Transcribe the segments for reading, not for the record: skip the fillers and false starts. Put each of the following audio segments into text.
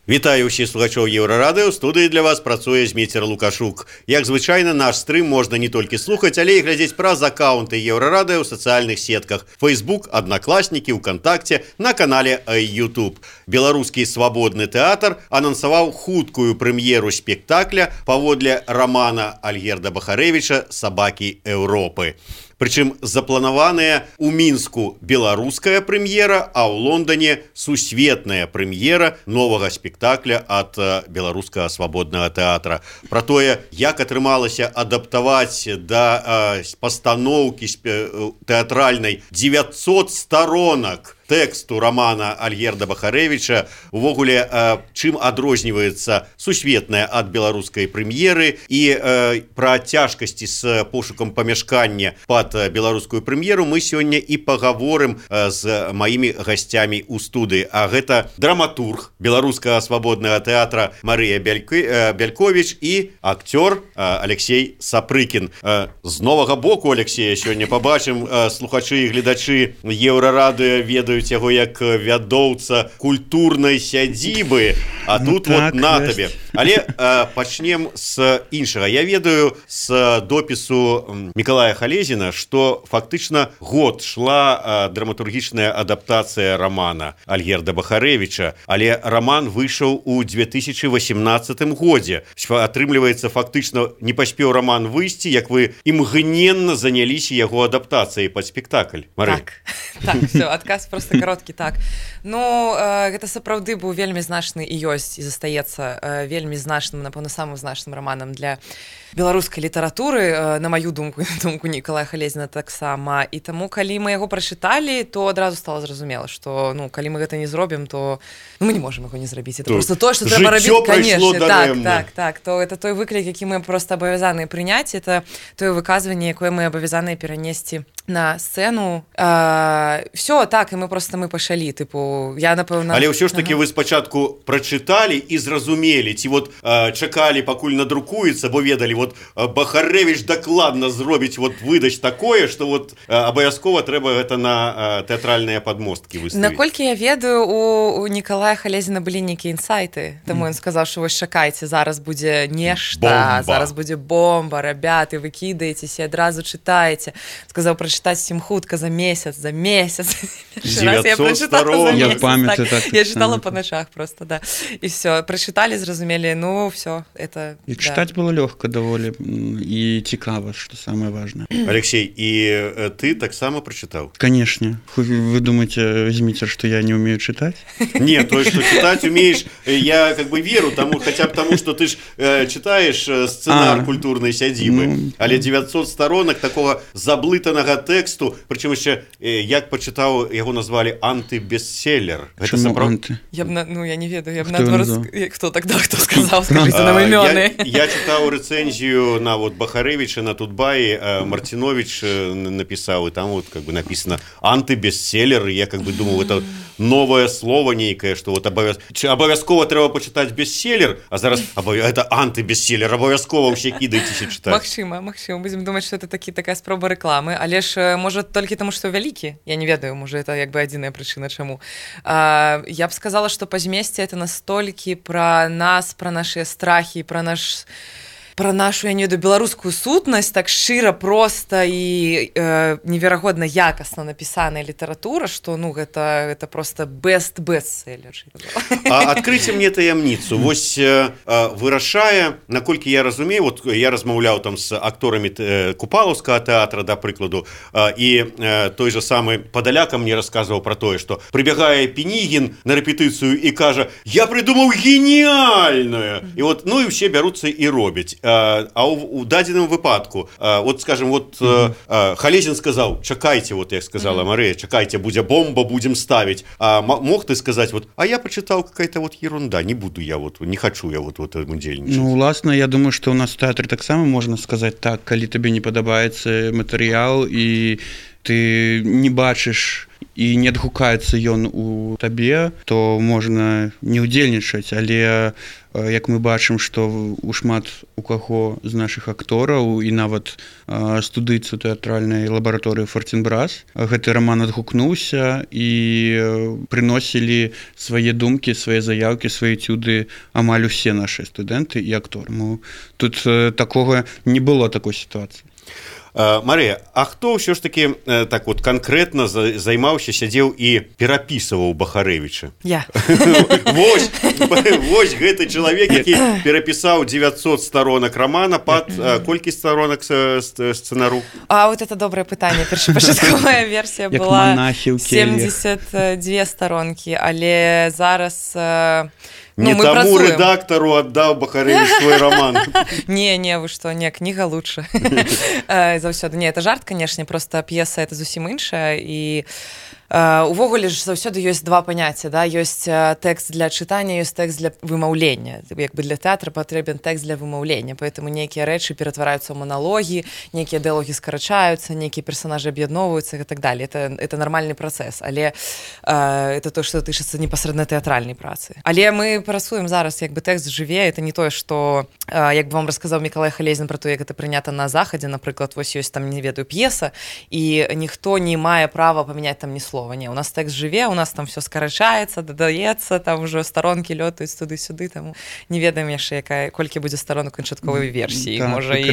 Вітаю ўсіх слухачоў Еўрарадыё. У студыі для вас працуе Зміцер Лукашук. Як звычайна, наш стрым можна не толькі слухаць, але і глядзець праз акаунты Еўрарадыё ў сацыяльных сетках Facebook, Аднакласнікі, УКонтакце, на канале YouTube. Беларускі свабодны тэатр анансаваў хуткую прэм'еру спектакля паводле рамана Альгерда Бахарэвіча «Сабакі Еўропы». Прычым запланаваная ў Мінску беларуская прэм'ера, а ў Лондоне сусветная прэм'ера новага спектакля ад беларускага свабоднага тэатра. Пра тое, як атрымалася адаптаваць да пастаноўкі тэатральнай 900 сторонак тэксту рамана Альгерда Бахарэвіча, увогуле, чым адрозніваецца сусветная ад беларускай прэм'еры і пра цяжкасці з пошукам памяшкання пад беларускую прэм'еру мы сёння і пагаворым з маімі гасцямі ў студыі. А гэта драматург беларускага свабоднага тэатра Марыя Бяльковіч і акцёр Алексей Сапрыкін. З новага боку Алексея сёння пабачым, слухачы і гледачы Еўрарадыё ведаюць яго як вядоўца культурнай сядзібы, а тут вот на табе. Але пачнем з іншага. Я ведаю з допісу Мікалая Халезіна, што фактычна год шла драматургічная адаптацыя рамана Альгерда Бахарэвіча, але раман выйшаў у 2018 годзе. Атрымліваецца, фактычна не паспеў раман выйсці, як вы імгненна заняліся яго адаптацыяй пад спектакль. Марыя. Так, все, адказ просто кароткі, так. Ну, гэта сапраўды быў вельмі значны і ёсць, і застаецца вельмі значным, напэўна, самым значным раманам для беларускай літаратуры, на маю думку, на думку Мікалая Халезіна таксама. І таму, калі мы яго прачыталі, то адразу стала зразумела, што, ну, калі мы гэта не зробім, то мы не можам яго не зрабіць. Это просто то, што трэба рабіць, конечно. Так, то это той выклік, які мы просто абавязаныя прыняць, это тое выказванне, якое мы абавязаныя перанесці на сцэну. Все, так, і мы пачалі, тыпу, я, напэўна... Але ўсё ж такі вы спачатку прачыталі і зразумелі, ці вот чакалі, пакуль надрукуецца, бо ведалі, вот Бахарэвіч дакладна зробіць, вот выдаць такое, што вот абавязкова трэба гэта на тэатральныя падмосткі выставіць. Наколькі я ведаю, у Мікалая Халезіна былі нейкія інсайты, таму ён сказаў, што вось чакайце, зараз будзе нешта, зараз будзе бомба, рабяты, вы кідаецеся, адразу чытаеце. Сказаў прачытаць всім хутка за месяц. 900 сторон. Я памятаю, так. Я читала по ночах просто, да. И все, прочитали, зразумели, ну, все, это... И да. Читать было легко довольно, и цікаво, что самое важное. Алексей, и ты так само прочитал? Конечно. Вы думаете, Змитер, что я не умею читать? Нет, то, что читать умеешь, я как бы веру тому, хотя бы тому, что ты ж читаешь сценар культурной сядзібы, але 900 сторонок такого заблытанага тексту, причем еще, як почитал, его назвали антибестселлер. Чему анти? Я не ведаю, я б наоборот, кто тогда, кто сказал, скажите нам имёны. Я читал рецензию на вот Бахарэвича на Тутбаи, Мартинович написал, и там вот как бы написано антибестселлер, и я как бы думал, это новое слово некое, что вот обовязково треба почитать бестселлер, а зараз это антибестселлер, обовязково все кидайтесь читать. Магчыма, будем думать, что это такая спроба рекламы, але ж, может, только тому, что вялікі, я не ведаю, может, это как бы адзіная прычына, чаму. Я б сказала, что па змесце это настолькі пра нас, пра нашыя страхі, пра нашу, я не ведаю, беларускую сутнасць, так шчыра, проста і неверагодна якасна напісаная літаратура, што, ну, гэта просто бестселлер. Адкрыйце мне таямніцу. Вось вырашае, наколькі я разумею, вот я размаўляў там з акторамі Купалаўскага тэатра, да прыкладу, і той же самы Падаляка мне расказваў пра тое, што прыбягае Пінігін на рэпетыцыю і кажа: «Я придумаў геніальнае!» І вот, ну, і ўсе бяруцца і робяць. А у дадзеным выпадку, вот, скажем, вот Халезін сказал: чакайте, вот як сказала Марыя, чакайте, будзе бомба, будем ставить. А мог ты сказать, вот, а я почитал какая-то вот ерунда, не буду я, вот, не хочу я вот этому дзельнічаць. Ну, власна, я думаю, что у нас в тэатры таксама можна сказаць так, калі табе не падабаецца матэрыял і ты не бачыш і не адгукаецца ён у табе, то можна не ўдзельнічаць, але як мы бачым, што у шмат у каго з нашых актораў і нават студыйцу тэатральнай лабараторыі Форцінбрас гэты раман адгукнуўся і прыносілі свае думкі, свае заяўкі, свае этюды амаль усе нашыя студэнты і акторы. Тут такога не было такой сітуацыі. Марыя, а хто ўсё ж такі так вот канкрэтна займаўся, сядзеў і перапісываў Бахарэвіча? Я. Вось гэты чалавек, які перапісаў 900 сторонок рамана пад колькі сторонок сцэнару? А вот это добрае пытанне. Першапачатковая версія была 72 сторонкі, але зараз... Не таму рэдактару аддаў Бахарэвіч свой раман. Не, вы што, не, кніга лучше. Заўсёды. Не, это жарт, канешне, просто п'еса это зусім іншая, і увогуле ж заўсёды ёсць два паняцця, да? Ёсць тэкст для чытання, ёсць тэкст для вымаўлення. Як бы для тэатра патрэбен тэкст для вымаўлення, поэтому нейкія рэчы ператвараюцца ў маналогі, нейкія дыялогі скарачаюцца, нейкія персонажы аб'ядноўваюцца і так далее. Это нармальны працэс, але это то, што тычыцца непасрэдна тэатральнай працы. Але мы працуем зараз, як бы тэкст жыве, это не тое, што, як бы вам расказаў Мікалай Халезін пра то, як это прынята на захадзе, напрыклад, вось ёсць там, не ведаю, п'еса, і ніхто не мае права памяняць там ні слова. Не, у нас тэкст жыве, у нас там все скарачаецца, дадаецца, там ужо старонкі лётаюць туды-сюды, там не ведаем яшчэ, колькі будзе старонак канчатковай версіі, можа і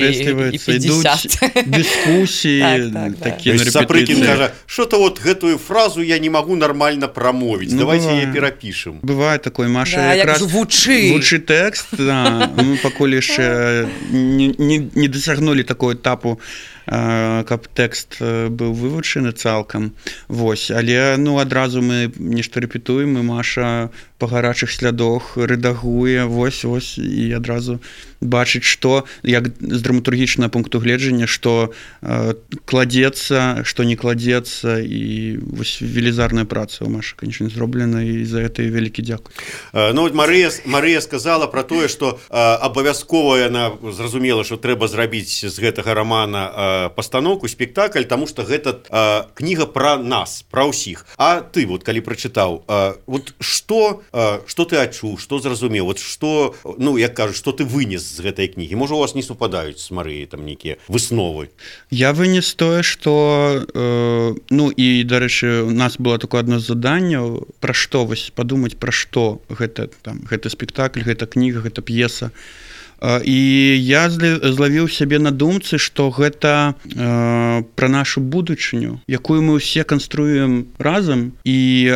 50. Дыскусіі такія. Сапрыкін кажа, што-то вот гэтую фразу я не магу нармальна прамовіць, давайте яе перапішам. Бывае такое, Маша якраз вучы тэкст, мы пакуль яшчэ не дасягнулі такого этапу, каб тэкст быў вывучаны цалкам. Вось, але адразу мы нешта рэпетуем, і Маша па гарачых слядах рэдагуе, вось, і адразу бачыць, што, як з драматургічнага пункту гледжання, што кладзецца, што не кладзецца, і вось велізарная праца ў Машы, канечне, зроблена, і за гэта вялікі дзякуй. Ну, Марыя сказала пра тое, што абавязкова яна зразумела, што трэба зрабіць з гэтага рамана пастаноўку, спектакль, таму што гэта кніга пра нас, пра ўсіх. А ты, вот, калі прачытаў, вот што ты адчуў, што зразумеў, вот што, ну, як кажуць, што ты вынес з гэтай кнігі? Можа, у вас не супадаюць з Марыяй там нейкія высновы? Я вынес тое, што, ну, і, дарэчы, у нас было такое адно з заданняў, пра што, вось, падумаць, пра што гэта спектакль, гэта кніга, гэта п'еса. І я злавіў сябе на думцы, што гэта пра нашу будучыню, якую мы ўсе канструюем разам, і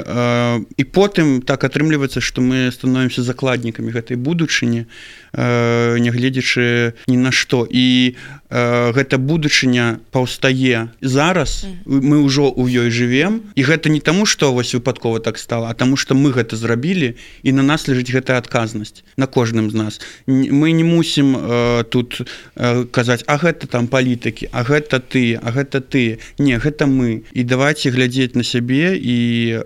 потым так атрымліваецца, што мы становімся закладнікамі гэтай будучыні, нягледзячы ні на што. І гэта будучыня паўстае зараз, мы ўжо ў ёй жывем, і гэта не таму, што вось выпадкова так стала, а таму, што мы гэта зрабілі, і на нас ляжыць гэтая адказнасць, на кожным з нас. Мы не мусім тут казаць, а гэта там палітыкі, а гэта ты, а гэта ты. Не, гэта мы. І давайце глядзець на сябе і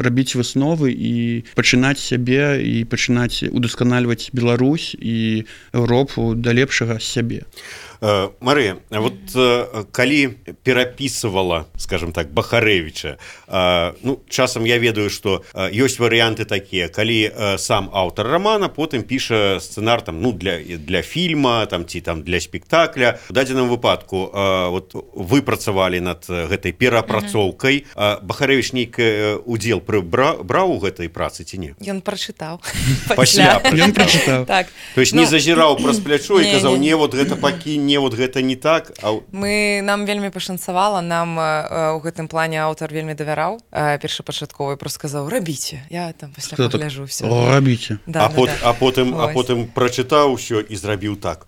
рабіць высновы і пачынаць сябе і пачынаць удасканальваць Беларусь і Еўропу да лепшага сябе. Марыя, вот калі перапісывала, скажем так, Бахарэвіча, ну, часам я ведаю, што ёсць варыянты такія, калі сам аўтар рамана потым піша сцэнар там, ну, для фільма там, ці там для спектакля. У дадзеным выпадку вот, вы працавалі над гэтай перапрацоўкай. Бахарэвіч нейкі удзел браў у гэтай працы ці не? Ён прачытаў. Пасля прачытаў. Так. То есть не зазіраў праз плячо і казаў, не, вот гэта пакінь, не, вот гэта не так. Нам вельмі пашанцавала, нам у гэтым плане аўтар вельмі давяраў першапачатковы, просто сказаў, рабіце, я там пасля пагляжу ўсё. Рабіце. А потым прачытаў усё і зрабіў так.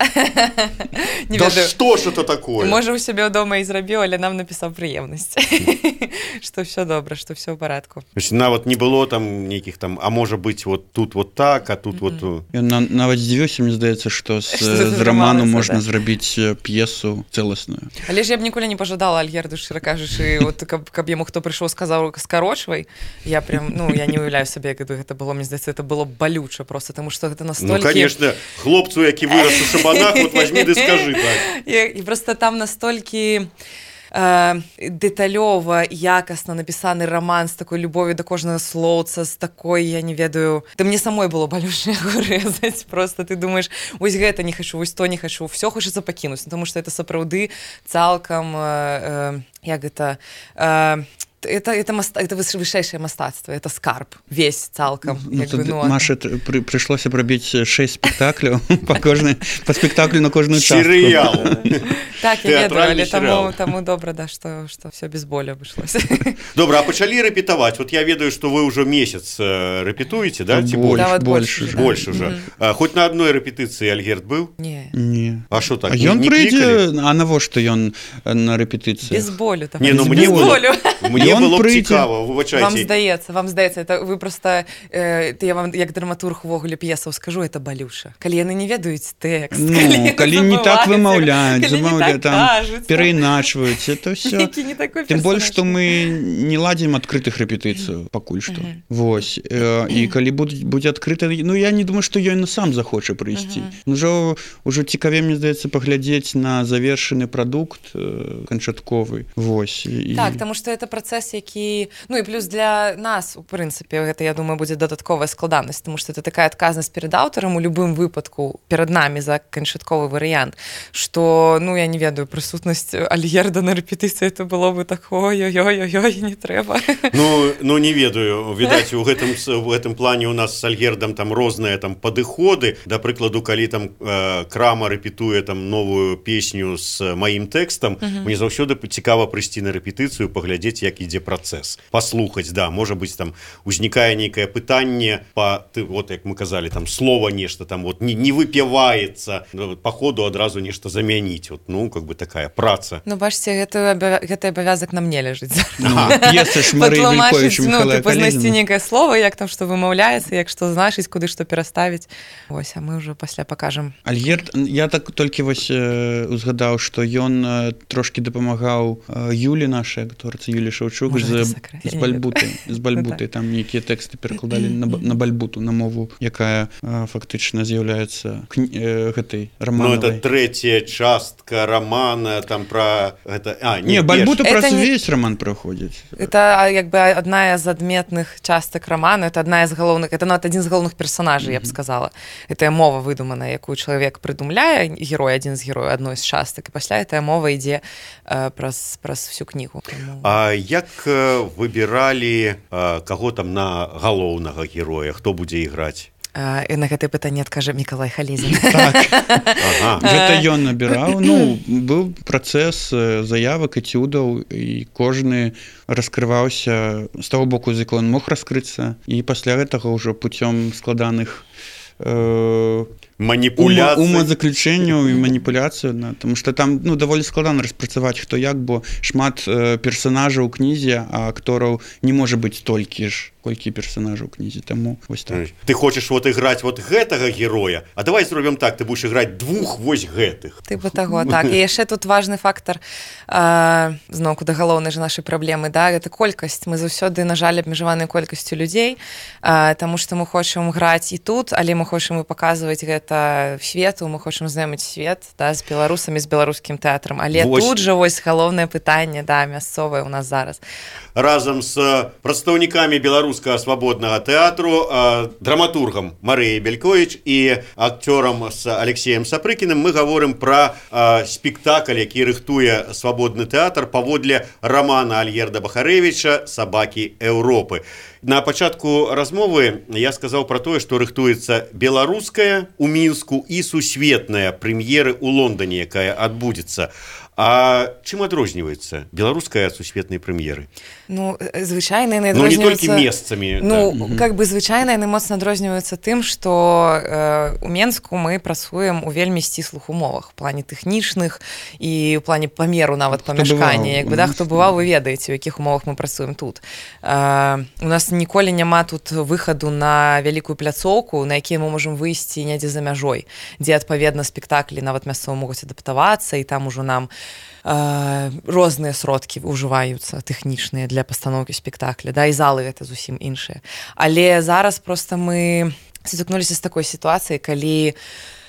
Да што ж это такое? Можа, у сябе дома і зрабіў, але нам напісаў прыемнасць. Што ўсё добра, што ўсё ў парадку. Нават не было там нейкіх там, а можа быць вот тут вот так, а тут вот... Ён нават здзівіўся, мне здаецца, што з раману можна зрабіць п'есу цэласную. Але ж я б ніколі не пажадала Альгерду, шчыра кажучы, вот, каб яму хто прыйшоў, сказаў скарочвай, я прям, ну, я не уяўляю сабе, як гэта было, мне здаецца, это было балюча просто, таму што гэта настолькі... Ну, конечно, хлопцу, які вырас у шабанах, вот возьми ды скажы так. І просто там настолькі дэталёва, якасна напісаны раман з такой любов'ю да кожнага слоўца, з такой, я не ведаю, да мне самой было балюча яго рэзаць, просто ты думаеш, вось гэта не хачу, вось то не хачу, все хочацца пакінуць, потому что это сапраўды цалкам, як гэта, это вышэйшае мастацтва, это скарб, весь цалкам. Маша, прыйшлося прабіць 6 спектакляў па спектаклю на кожную частку. Серыял. Так, я ведаю, але таму добра, да, што все без болю абышлося. Добра, а пачалі рэпетаваць? Вот я ведаю, што вы ўжо месяц рэпетуеце, да? Ці больш уже. Хоць на адной рэпетыцыі Альгерд быў? Не. А што так? Ён прыйдзе, а навошта ён на рэпетыцыі? Без болю. Не, ну мне было б цікава, выбачайце. Вам здаецца, это вы просто, я вам як драматург увогуле п'есаў скажу, это балюша. Калі яны не ведаюць тэкст, калі не так вымаўляюць, там перайначваюць, это все. Тым больш, што мы не ладзім адкрытых рэпетыцыяў пакуль што. Вось. І калі будзе адкрыта, ну я не думаю, што ён сам захоча прыйсці. Ужо цікавей, мне здаецца, паглядзець на завершаны прадукт канчатковы. Вось. Так, таму што это працэс, які, ну і плюс для нас, у прынцыпе, гэта, я думаю, будзе дадатковая складанасць, тому што это такая адказнасць перад аўтарам у любым выпадку перад намі за канчатковы варыянт, што, ну, я не ведаю, прысутнасць Альгерда на рэпетыцыі, это было бы так, ой-ой-ой, не трэба. Ну, не ведаю, відаць, у гэтым плане у нас з Альгердам там розныя там падыходы, да прыкладу, калі там Крама рэпетуе там новую песню з маім тэкстам, мне заўсёды цікава прыйсці на рэпетыцыю, паглядзець, як ідзе працэс, паслухаць, да, можа быць, там узнікае нейкае пытанне вот як мы казалі, там слова нешта там вот не выпіваецца, па ходу адразу нешта замяніць, вот, ну, как бы такая праца. Ну, бачце, гэты абавязак на мне ляжыць. П'еса ж Марыі Вільковіч, Міхайла Калідзіна. Знайсці нейкае слова, як там што вымаўляецца, як што значыць, куды што пераставіць. Вось, а мы ўжо пасля пакажам. Альгерд, я так толькі вось узгадаў, што ён трошкі дапамагаў Юлі нашай акторцы, Юлі Шаўчук, з бальбутай, там нейкія тэксты перакладалі на бальбуту, на мову, якая фактычна з'яўляецца гэтай раманавай. Ну, это трэцяя частка рамана, там пра гэта... Не, бальбута праз увесь раман праходзіць. Это, як бы, адна з адметных частак рамана, это адна з галоўных, это нават адзін з галоўных персонажаў, я б сказала. Это мова выдуманая, якую чалавек прыдумляе, герой, адзін з герояў адной з частак, і пасля гэтая мова ідзе праз всю кнігу. А як выбіралі каго там на галоўнага героя, хто будзе іграць? І на гэтае пытанне адкажа Мікалай Халезін. Так. Гэта ён набіраў. Ну, быў працэс заявак, эцюдаў, і кожны раскрываўся з таго боку, з якога ён мог раскрыцца, і пасля гэтага ўжо путём складаных маніпуляцый, умазаключэнняў і маніпуляцыю, тому што там, ну, даволі складана распрацаваць хто як, бо шмат персанажаў у кнізе, а актораў не можа быць столькі ж, колькі персанажаў у кнізе, таму вось так. Ты хочаш вот іграць вот гэтага героя, а давай зробім так, ты будзеш іграць двух вось гэтых. Тыпу таго, так. І яшчэ тут важны фактар, зноўку да галоўнай жа нашай праблемы, да, гэта колькасць. Мы заўсёды, на жаль, абмежаваныя колькасцю людзей, таму што мы хочам граць і тут, але мы хочам і паказваць гэта свету, мы хочам знаёміць свет, да, з беларусамі, з беларускім тэатрам, але тут жа вось галоўнае пытанне, да, мясцовае у нас зараз. Разам з прадстаўнікамі беларускага свабоднага тэатру, драматургам Марыяй Вільковіч і акцёрам з Алексеем Сапрыкіным мы гаворым пра спектакль, які рыхтуе свабодны тэатр паводле рамана Альгерда Бахарэвіча «Сабакі Еўропы». На пачатку размовы я сказаў пра тое, што рыхтуецца беларуская ў Мінску і сусветная прэм'еры ў Лондоне, якая адбудзецца. А чым адрозніваецца беларуская ад сусветнай прэм'еры? Ну, звычайна яны Ну, адрозніваюцца... не толькі месцамі. Ну, как бы звычайна яны моцна адрозніваюцца тым, што у Менску мы працуем у вельмі сціслых умовах, у плане тэхнічных і ў плане памеру нават памяшкання. Як бы, да, хто бываў, вы ведаеце, у якіх умовах мы працуем тут. У нас ніколі няма тут выхаду на вялікую пляцоўку, на якія мы можам выйсці недзе за мяжой, дзе, адпаведна, спектаклі нават мясцова могуць адаптавацца, і там ужо нам розныя сродкі ўжываюцца тэхнічныя для пастаноўкі спектакля, да, і залы гэта зусім іншыя. Але зараз проста мы сутыкнуліся з такой сітуацыяй, калі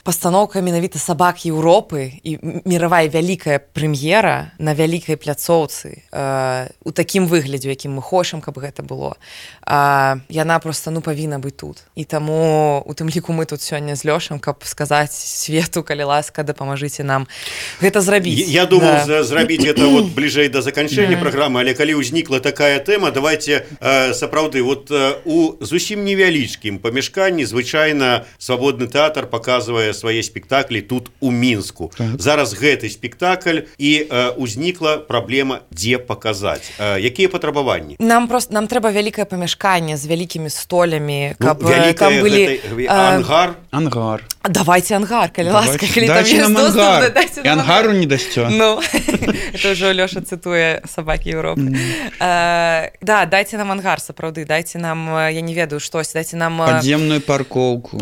пастаноўка менавіта сабак Еўропы і міравая вялікая прэм'ера на вялікай пляцоўцы у такім выглядзе, якім мы хочам, каб гэта было. Яна проста павінна быць тут. І таму у тым ліку мы тут сёння з Лёшам, каб сказаць свету, калі ласка, дапамажыце нам гэта зрабіць. Я думал зрабіць это вот бліжэй да заканчэння праграмы, але калі ўзнікла такая тэма, давайте сапраўды вот у зусім невялічкім памяшканні звычайна свабодны тэатр паказвае свае спектаклі тут у Мінску. Зараз гэты спектакль і ўзнікла праблема, дзе паказаць. Якія патрабаванні? Нам трэба вялікае памяшканне з вялікімі столямі, каб там былі ангар. Давайте ангар, калі ласка, калі там ёсць доступ, дайце нам ангару не дасце. Ну, это ўжо Лёша цытуе сабакі Еўропы. Да, дайце нам ангар, сапраўды, дайце нам, я не ведаю, штось, дайце нам падземную паркоўку.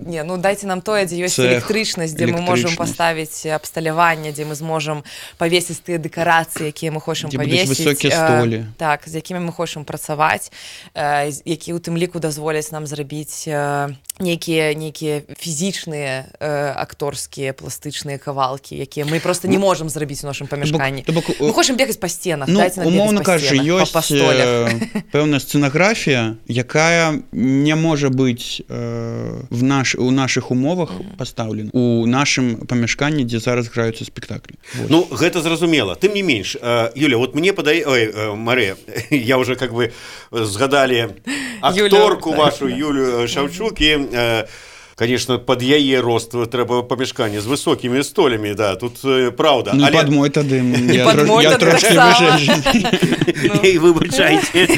Не, ну дайце нам тое, дзе ёсць электрычнасць, дзе мы можам паставіць абсталяванне, дзе мы зможам павесіць тыя дэкарацыі, якія мы хочам павесіць. Высокія столі. Так, з якімі мы хочам працаваць, якія ў тым ліку дазволяць нам зрабіць нейкія фізічныя акторскія пластычныя кавалкі, якія мы просто не можам зрабіць у нашым памяшканні. Мы хочам бегаць па сценах, дайце нам бегаць па сценах, па столях. Пэўная сцэнаграфія, якая не можа быць у нашых умовах пастаўлена у нашым памяшканні, дзе зараз граюцца спектаклі. Ну, гэта зразумела. Тым не менш, Юля, вот мне Марыя, я уже как бы згадалі акторку вашу Юлю Шаўчук, і конечно, под яе рост трэба памяшканне з высокімі столямі, да, тут праўда. Ну, пад мой тады, я трошки выжэй. І выбачайце.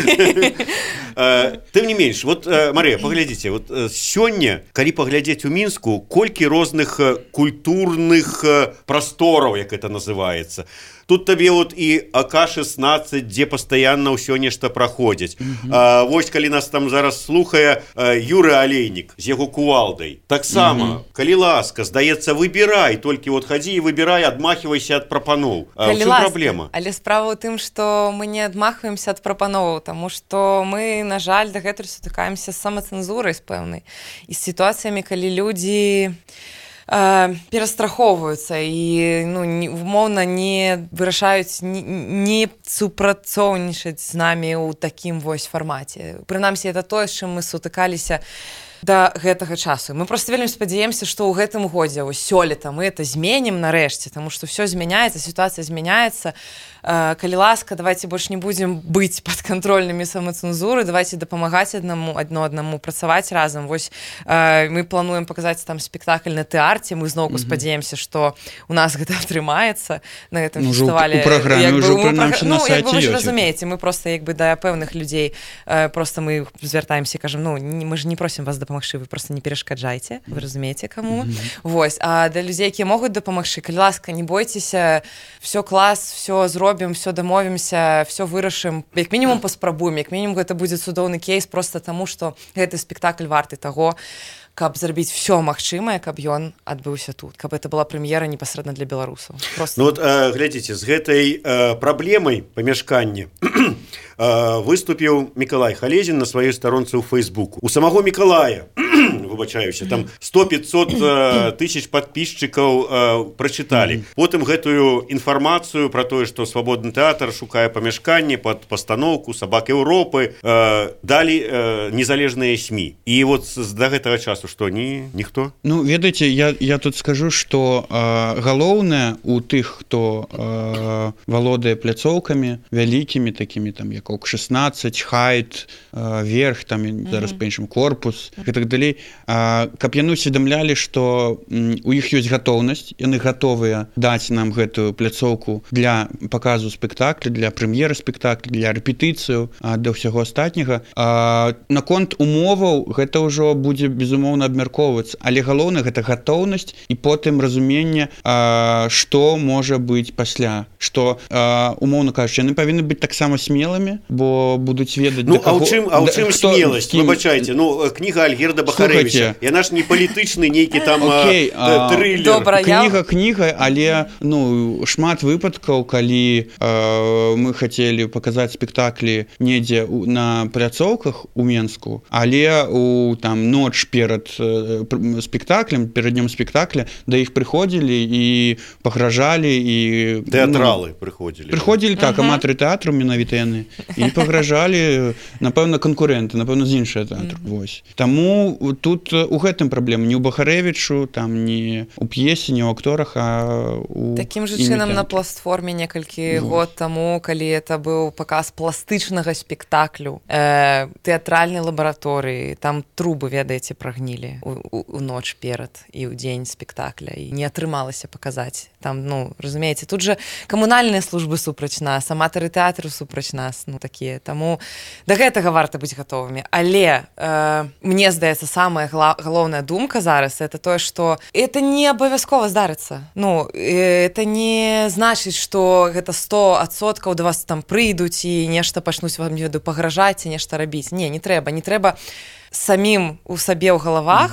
Тым не менш, вот, Марыя, паглядзіце, вот сёння, калі паглядзець у Мінску, колькі розных культурных прастораў, як это называецца. Тут табе вот і АК-16, дзе пастаянна ўсё нешта праходзіць. Вось, калі нас там зараз слухае Юры Алейнік з яго кувалдай. Таксама, калі ласка, здаецца, выбірай, толькі вот хадзі і выбірай, адмахівайся ад прапаноў. У чым праблема? Але справа ў тым, што мы не адмахваемся ад прапановаў, таму што мы, на жаль, дагэтуль сутыкаемся з самацэнзурай з пэўнай і з сітуацыямі, калі людзі перастрахоўваюцца і умоўна не вырашаюць не супрацоўнічаць з намі ў такім вось фармаце. Прынамсі, это тое, з чым мы сутыкаліся да гэтага часу. Мы просто вельмі спадзяемся, што ў гэтым годзе, ось сёлета мы это зменім нарэшце, таму што ўсё змяняецца, сітуацыя змяняецца. Калі ласка, давайте больш не будзем быць падкантрольнымі самацэнзуры, давайте дапамагаць аднаму працаваць разам. Вось мы плануем паказаць там спектакль на тэарце, мы зноўку спадзяемся, што у нас гэта атрымаецца на гэтым фестывале. У праграме ўжо прынамсі на сайце ёсць. Вы ж ёсць. разумееце, мы просто да пэўных людзей просто мы звяртаемся і кажам, мы ж не просім вас дапамагчы, вы просто не перашкаджайце, вы разумееце, каму. Вось, а для людзей, якія могуць дапамагчы, калі ласка, не бойцеся, всё клас, всё зробім, все дамовімся, все вырашым, як мінімум паспрабуем, як мінімум гэта будзе цудоўны кейс просто таму, што гэты спектакль варты таго, каб зрабіць все магчымае, каб ён адбыўся тут, каб это была прэм'ера непасрэдна для беларусаў. Ну вот, глядзіце, з гэтай праблемай памяшкання выступіў Мікалай Халезін на сваёй старонцы ў Фейсбуку. У самого Мікалая, выбачаюся, там 100-500 тысяч подписчикаў прачыталі. Потым гэтую інфармацыю пра тое, што свабодны тэатр шукае памяшканне пад пастаноўку «Сабак Еўропы», далі незалежныя СМІ. І вот да гэтага часу што, ніхто? Ну, ведаеце, я тут скажу, што галоўнае у тых, хто валодае пляцоўкамі вялікімі такімі, там, як ОК-16, Хайт, Верх, там, зараз па-іншаму Корпус і так далей, каб яны усведамлялі, што у іх ёсць гатоўнасць, яны гатовыя даць нам гэтую пляцоўку для паказу спектакля, для прэм'еры спектакля, для рэпетыцыю, для ўсяго астатняга. Наконт умоваў гэта ўжо будзе, безумоўна, абмяркоўвацца, але галоўнае гэта гатоўнасць і потым разуменне, што можа быць пасля, што, умоўна кажучы, яны павінны быць таксама смелымі, бо будуць ведаць... Ну, а ў чым смеласць? Выбачайце, кніга Альгерда Бахарэвіча Слухайте, яна ж не палітычны нейкі там трылер. Добра, кніга, але шмат выпадкаў, калі мы хацелі паказаць спектаклі недзе на пляцоўках у Менску, але у там ноч перад спектаклем, перад днём спектакля да іх прыходзілі і пагражалі і тэатралы прыходзілі так, аматары тэатру менавіта яны і пагражалі, напэўна, канкурэнты, напэўна, з іншага тэатру. Вось. Таму тут у гэтым праблема не ў Бахарэвічу, там не ў п'есе, не ў акторах, а у такім жа чынам на пластформе некалькі год таму, калі это быў паказ пластычнага спектаклю тэатральнай лабараторыі, там трубы, ведаеце, прагнілі у ноч перад і ў дзень спектакля, і не атрымалася паказаць. Там, разумееце, тут жа камунальныя службы супраць нас, аматары тэатру супраць нас, такія. Таму да гэтага варта быць гатовымі. Але мне здаецца, самая галоўная думка зараз это тое, што это не абавязкова здарыцца. Это не значыць, што гэта 100% да вас там прыйдуць і нешта пачнуць вам пагражаць і нешта рабіць. Не трэба самім у сабе ў галавах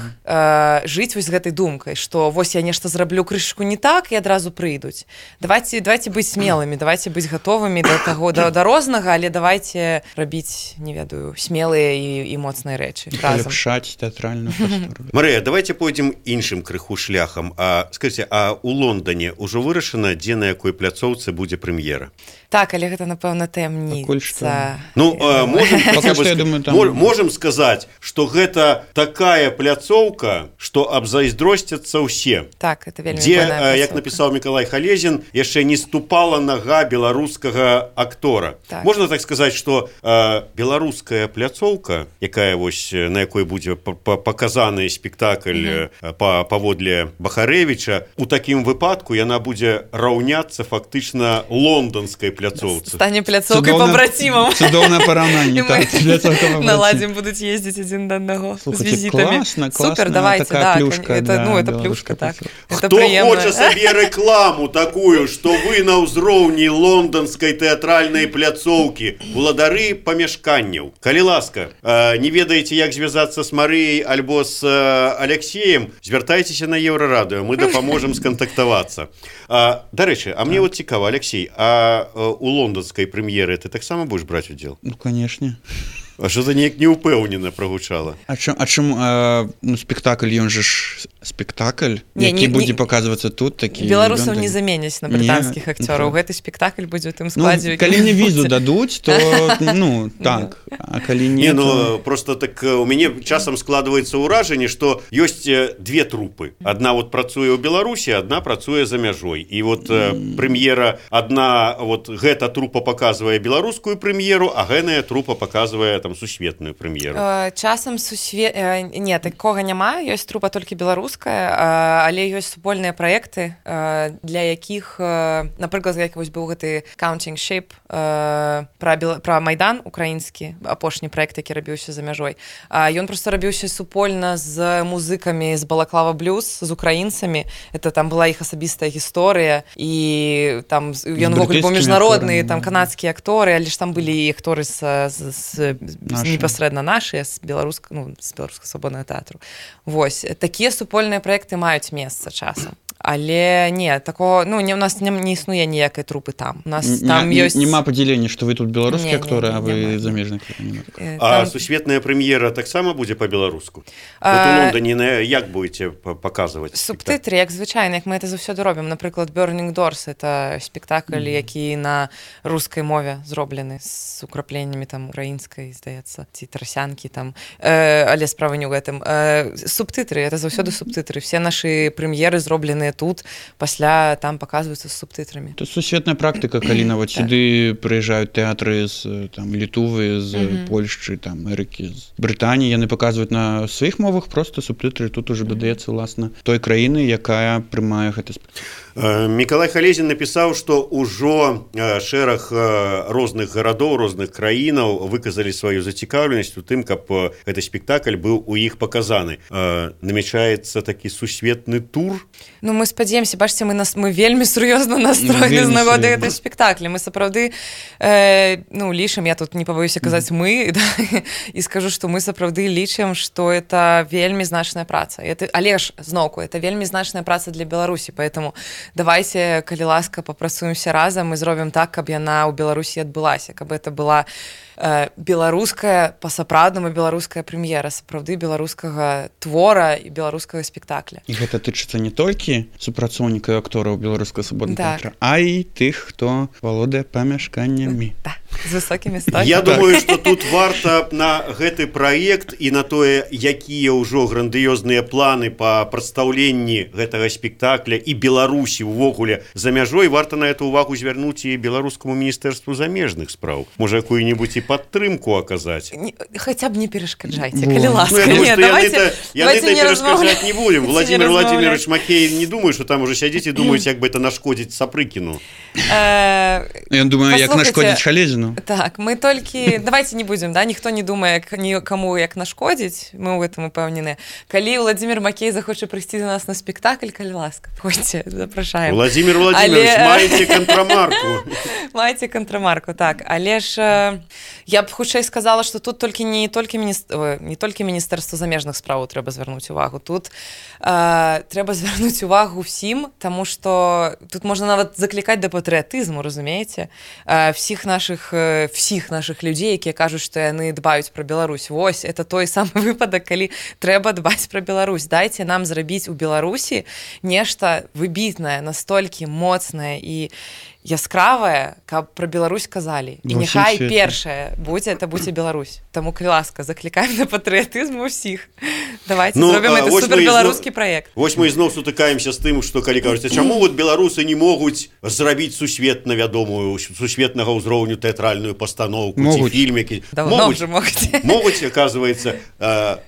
жыць вось гэтай думкай, што вось я нешта зраблю крышку не так і адразу прыйдуць. Давайте быць смелымі, давайте быць гатовымі да таго, да рознага, але давайте рабіць, не ведаю, смелыя і моцныя рэчы разам. Паляпшаць тэатральную прастору. Марыя, давайте пойдзем іншым крыху шляхам. Скажыце, а у Лондоне ўжо вырашана, дзе на якой пляцоўцы будзе прэм'ера? Так, але гэта, напэўна, таямніца. Можам сказаць, што гэта такая пляцоўка, што абзайздросцяцца ўсе. Так, это вельмі дзе, як напісаў Мікалай Халезін, яшчэ не ступала нага беларускага актора. Так. Можна так сказаць, што беларуская пляцоўка, якая вось на якой будзе паказаны спектакль паводле Бахарэвіча, у такім выпадку яна будзе раўняцца фактычна лонданскай пляцоўцы. Стане пляцоўкай пабрацімам. Цудоўнае параўнанне. Наладзім будуць ездзіць адзін да аднаго з візітамі. Супер, давайте, да. Плюшка, это плюшка, так. Хто хоча сабе рэкламу такую, што вы на ўзроўні лонданскай тэатральнай пляцоўкі, уладары памяшканняў. Калі ласка, не ведаеце, як звязацца з Марыяй альбо з Алексеем, звяртайцеся на Еўрарадыё, мы дапаможам скантактавацца. Дарэчы, а мне вот цікава, Алексей, а у лонданскай прэм'еры ты таксама будзеш браць удзел? Канешне. А що за неяк неупэўнена прагучала? А чым спектакль, ён же ж спектакль, які будзе паказвацца тут, такі... Беларусаў не заменяць на брытанскіх акцёраў. Гэты спектакль будзе ў тым складзе. Калі мне візу дадуць, то так. А калі не... Просто так у мяне часам складваецца ўражанне, што ёсць две трупы. Адна вот працуе ў Беларусі, адна працуе за мяжой. І вот прэм'ера, адна, вот гэта трупа паказвае беларускую прэм'еру, а гэная трупа паказвае там сусветную прэм'еру. Часам не, такога няма, ёсць трупа толькі беларуская, але ёсць супольныя праекты, для якіх, напрыклад, як вось быў гэты Counting Sheep пра Майдан украінскі, апошні праект, які рабіўся за мяжой. Ён проста рабіўся супольна з музыкамі з Балаклава Блюз, з украінцамі. Это там была іх асабістая гісторыя, і там ён вогуле быў міжнародны, там канадскія акторы, але ж там былі і акторы непасрэдна нашыя з беларускага свабоднага тэатру. Вось, такія супольныя праекты маюць месца часам. Але не, такого, у нас не існуе ніякай трупы там. У нас там ёсць... Нема падзялення, што вы тут беларускія акторы, а вы замежныя. А сусветная прэм'ера таксама будзе па-беларуску? Вот у Лондоне як будзеце паказваць? Субтытры, як звычайна, як мы это заўсёды робім. Напрыклад, Burning Doors — это спектакль, які на рускай мове зроблены з украпленнямі там украінскай, здаецца, ці трасянкі там. Але справа не ў гэтым. Субтытры — это заўсёды субтытры. Все нашы прэм'еры зробленыя тут, пасля там паказваюцца з субтытрамі. Это сусветная практыка, калі нават сюды прыязджаюць тэатры з Літвы, з Польшчы, там Амерыкі, з Брытаніі, яны паказваюць на сваіх мовах просто субтытры, тут ужо дадаецца ўласна той краіны, якая прымае гэты спектакль. Мікалай Халезін напісаў, што ўжо шэраг розных гарадоў, розных краінаў выказалі сваю зацікаўленасць у тым, каб гэты спектакль быў у іх паказаны. Намячаецца такі сусветны тур. Ну мы спадзеемся, бачыце, мы вельмі сур'ёзна настроены з нагоды гэтай спектакля. Мы сапраўды лічым, я тут не пабоюся казаць мы, да, і скажу, што мы сапраўды лічым, што это вельмі значная праца. Але ж зноўку, это вельмі значная праца для Беларусі, поэтому давайте, калі ласка, папрацуемся разам і зробім так, каб яна ў Беларусі адбылася, каб это была беларуская, па-сапраўднаму беларуская прэм'ера, сапраўды беларускага твора і беларускага спектакля. І гэта тычыцца не толькі супрацоўнікаў актораў беларускага свабоднага тэатра, а і тых, хто валодае памяшканнямі. Так, з высокімі столькамі. Я думаю, што тут варта на гэты праект і на тое, якія ўжо грандыёзныя планы па прадстаўленні гэтага спектакля і Беларусі ўвогуле за мяжой, варта на эту увагу звярнуць і беларускаму міністэрству замежных спраў. Можа, якую-нибудь і падтрымку аказаць. Хаця б не перашкаджайце, калі ласка. Яны перашкаджаць не будем. Владимир Владимирович Макеев не думаю, што там уже сядзіць і думаюць, як бы это нашкодзіць Сапрыкіну. Ён думаю, як нашкодзіць Халезіну. Так, мы толькі... Давайте не будем, да? Ніхто не думае, каму як нашкодзіць. Мы ў гэтым упэўнены. Калі Владимир Макеев захоча прыйсці до нас на спектакль, калі ласка, ходзьце, запрашаем. Владимир Владимирович, маеце контрамарку. Маеце контрамарку, так. Але ж я б хутчэй сказала, што тут не толькі Міністэрства замежных спраў трэба звярнуць увагу. Тут трэба звярнуць увагу ўсім, таму што тут можна нават заклікаць да патрыятызму, разумееце? Всіх нашых людзей, якія кажуць, што яны дбаюць пра Беларусь. Вось, это той самы выпадак, калі трэба дбаць пра Беларусь. Дайце нам зрабіць у Беларусі нешта выбітнае, настолькі моцнае і яскравая, каб пра Беларусь казалі. І няхай першае будзе Беларусь. Таму, калі ласка, заклікаем на патрыятызм усіх. Давайте зробім это супербеларускі праект. Вось мы ізноў сутыкаемся з тым, што калі кажуць, чаму вот беларусы не могуць зрабіць сусветна вядомую, сусветнага ўзроўню тэатральную пастаноўку ці фільмікі. Могуць, оказывается,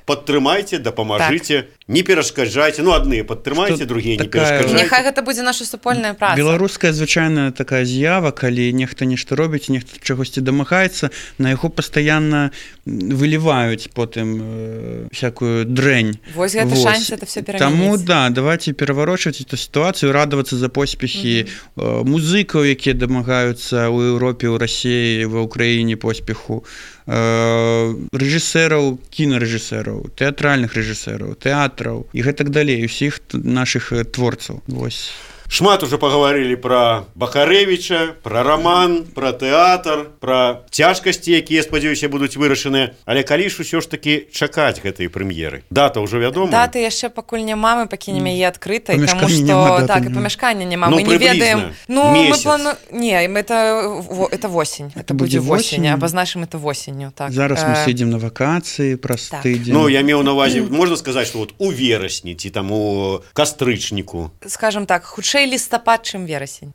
падтрымайце, дапамажыце, не перашкаджайце. Ну, адныя падтрымайце, другія не перашкаджайце. Няхай гэта будзе наша супольная праца. Беларуская звычайная такая з'ява, калі нехта нешта робіць, нехта чагосьці дамагаецца, на яго пастаянна выліваюць потым всякую дрэнь. Вось гэта шанс это все пераменіць. Таму, да, давайте пераварочваць эту сітуацыю, радавацца за поспехі музыкаў, якія дамагаюцца ў Еўропе, ў Расіі, ва Ўкраіне поспеху, рэжысэраў, кінарэжысэраў, тэатральных рэжысэраў, тэатраў і гэтак далей, усіх нашых творцаў. Вось. Шмат уже паговорили про Бахарэвіча, про роман, про тэатр, про цяжкасці, якія, спадзяюся, будуць вырашаныя. Але калі ж усё ж такі чакаць гэтай прэм'еры? Дата ўжо вядома? Даты яшчэ пакуль няма, мы пакінем яе адкрытай, таму што так, і памяшкання няма. Мы не ведаем. Месяц. Не, это восень. Это будзе восень, абазначым это восенню. Зараз мы сидзім на вакацыі праз тыдзень. Ну, я меў на ўвазе, можна сказаць, што вот у верасні ці там у кастрычніку. Скажам так, хутчэй лістапад, чым верасень.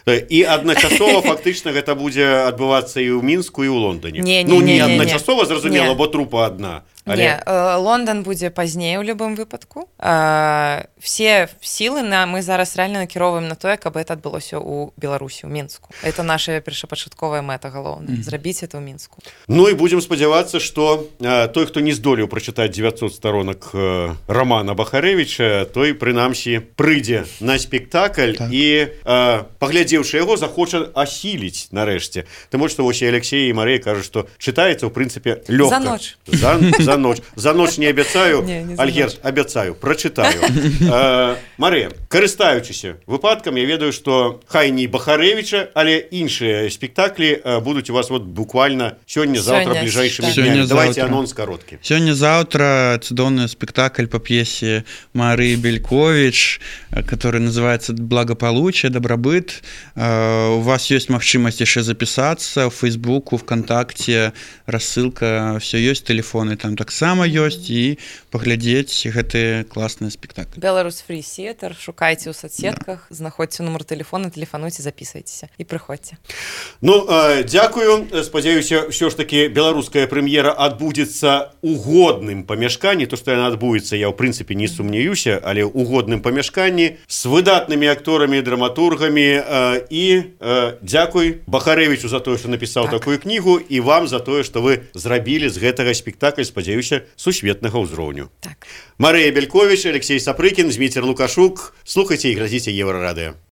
І адначасова фактычна гэта будзе адбывацца і ў Мінску, і ў Лондоне. Не адначасова, зразумела, бо трупа адна. Не, Лондон будзе пазней у любым выпадку. Все сілы мы зараз рэальна накіроўваем на тое, каб это адбылося ў Беларусі, ў Мінску. Это наша першапачатковая мэта галоўная. Зрабіць это ў Мінску. Ну і будзем спадзявацца, што той, хто не здолеў прачытаць 900 сторонак романа Бахарэвіча, той, прынамсі, прыйдзе на спектакль і, паглядзеўшы яго, захоча асіліць нарэшце. Таму што вось і Алексей і Марыя кажуць, што чытаецца, ў прынцыпе, лёгка. За ноч. За ноч не абяцаю, Альгерд, абяцаю, прачытаю. Марыя, карыстаючыся выпадкам, я ведаю, што хай не Бахарэвіча, але іншыя спектаклі будуць у вас вот буквально сёння-заўтра бліжэйшымі днямі. Давайте анонс кароткі. Сёння-заўтра цудоўны спектакль по п'есе Марии Белькович, который называется «Благополучие, добробыт». У вас есть магчымасць яшчэ запісацца ў Фейсбуку, ВКонтакте, рассылка, все есть, телефоны там таксама ёсць і паглядзець гэтыя класныя спектаклі. Беларус Фрі Сіэтр, шукайце ў соцсетках, знаходзьце нумар тэлефона, тэлефануйце, запісвайцеся і прыходзьце. Ну, дзякую. Спадзяюся, ўсё ж такі беларуская прэм'ера адбудзецца ў годным памяшканні. То, што яна адбудзецца, я ў прынцыпе не сумняюся, але ў годным памяшканні з выдатнымі акторамі, драматургамі. І дзякуй Бахарэвічу за тое, што напісаў такую кнігу, і вам за тое, што вы зрабілі з гэтага спектакль, спадзяюся, сусветнага ўзроўню. Так. Марыя Бельковіч, Алексей Сапрыкін, Зміцер Лукашук. Слухайце і глядзіце Еўрарадыё.